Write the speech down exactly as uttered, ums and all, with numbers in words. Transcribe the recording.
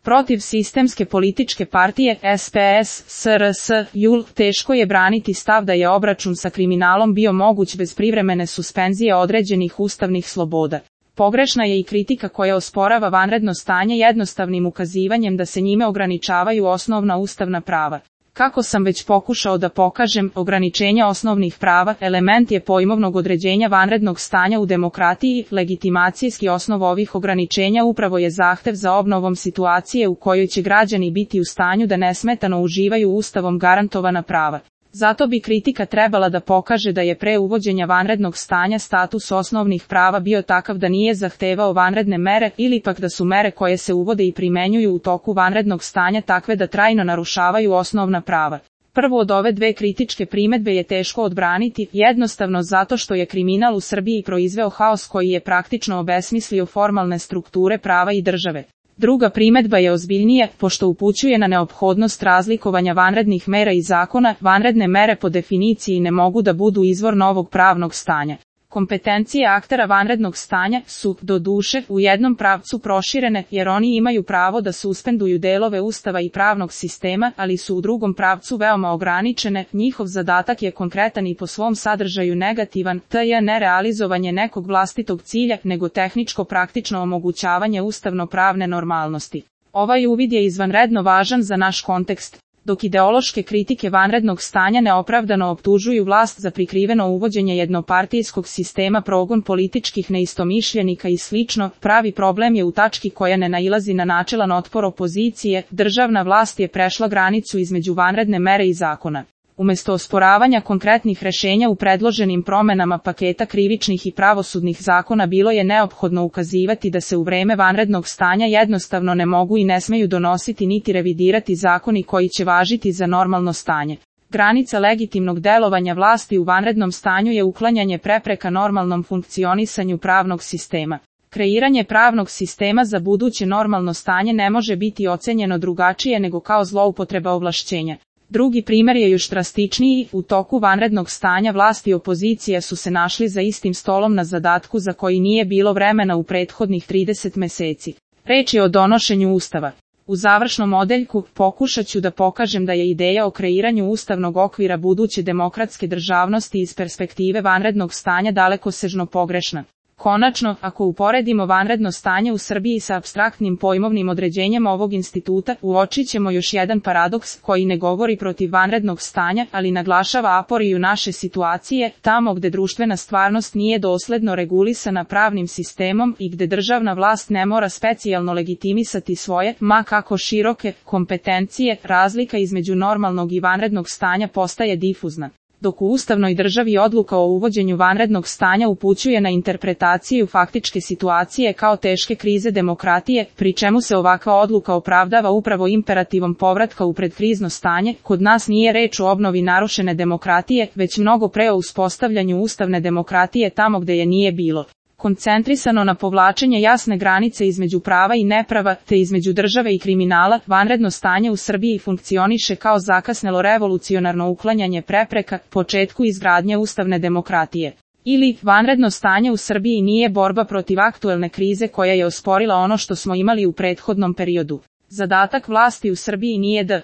Protiv sistemske političke partije S P S, S R S, J U L, teško je braniti stav da je obračun sa kriminalom bio moguć bez privremene suspenzije određenih ustavnih sloboda. Pogrešna je i kritika koja osporava vanredno stanje jednostavnim ukazivanjem da se njime ograničavaju osnovna ustavna prava. Kako sam već pokušao da pokažem, ograničenja osnovnih prava element je pojmovnog određenja vanrednog stanja u demokratiji. Legitimacijski osnov ovih ograničenja upravo je zahtev za obnovom situacije u kojoj će građani biti u stanju da nesmetano uživaju ustavom garantovana prava. Zato bi kritika trebala da pokaže da je pre uvođenja vanrednog stanja status osnovnih prava bio takav da nije zahtevao vanredne mere ili pak da su mere koje se uvode i primenjuju u toku vanrednog stanja takve da trajno narušavaju osnovna prava. Prvo od ove dve kritičke primedbe je teško odbraniti, jednostavno zato što je kriminal u Srbiji proizveo haos koji je praktično obesmislio formalne strukture prava i države. Druga primedba je ozbiljnija, pošto upućuje na neophodnost razlikovanja vanrednih mera i zakona. Vanredne mere po definiciji ne mogu da budu izvor novog pravnog stanja. Kompetencije aktera vanrednog stanja su, doduše, u jednom pravcu proširene, jer oni imaju pravo da suspenduju delove ustava i pravnog sistema, ali su u drugom pravcu veoma ograničene. Njihov zadatak je konkretan i po svom sadržaju negativan, to je ne realizovanje nekog vlastitog cilja, nego tehničko praktično omogućavanje ustavno-pravne normalnosti. Ovaj uvid je izvanredno važan za naš kontekst. Dok ideološke kritike vanrednog stanja neopravdano optužuju vlast za prikriveno uvođenje jednopartijskog sistema, progon političkih neistomišljenika i slično, pravi problem je u tački koja ne nailazi na načelan otpor opozicije. Državna vlast je prešla granicu između vanredne mere i zakona. Umesto osporavanja konkretnih rešenja u predloženim promenama paketa krivičnih i pravosudnih zakona bilo je neophodno ukazivati da se u vreme vanrednog stanja jednostavno ne mogu i ne smeju donositi niti revidirati zakoni koji će važiti za normalno stanje. Granica legitimnog delovanja vlasti u vanrednom stanju je uklanjanje prepreka normalnom funkcionisanju pravnog sistema. Kreiranje pravnog sistema za buduće normalno stanje ne može biti ocenjeno drugačije nego kao zloupotreba ovlašćenja. Drugi primer je još drastičniji. U toku vanrednog stanja vlast i opozicija su se našli za istim stolom na zadatku za koji nije bilo vremena u prethodnih trideset meseci. Reč je o donošenju ustava. U završnom odeljku pokušat ću da pokažem da je ideja o kreiranju ustavnog okvira buduće demokratske državnosti iz perspektive vanrednog stanja dalekosežno pogrešna. Konačno, ako uporedimo vanredno stanje u Srbiji sa apstraktnim pojmovnim određenjem ovog instituta, uočit ćemo još jedan paradoks koji ne govori protiv vanrednog stanja, ali naglašava aporiju naše situacije, tamo gde društvena stvarnost nije dosledno regulisana pravnim sistemom i gde državna vlast ne mora specijalno legitimisati svoje, ma kako široke, kompetencije, razlika između normalnog i vanrednog stanja postaje difuzna. Dok u ustavnoj državi odluka o uvođenju vanrednog stanja upućuje na interpretaciju faktičke situacije kao teške krize demokratije, pri čemu se ovakva odluka opravdava upravo imperativom povratka u predkrizno stanje, kod nas nije reč o obnovi narušene demokratije, već mnogo pre o uspostavljanju ustavne demokratije tamo gde je nije bilo. Koncentrisano na povlačenje jasne granice između prava i neprava, te između države i kriminala, vanredno stanje u Srbiji funkcioniše kao zakasnelo revolucionarno uklanjanje prepreka početku izgradnje ustavne demokratije. Ili, vanredno stanje u Srbiji nije borba protiv aktuelne krize koja je osporila ono što smo imali u prethodnom periodu. Zadatak vlasti u Srbiji nije da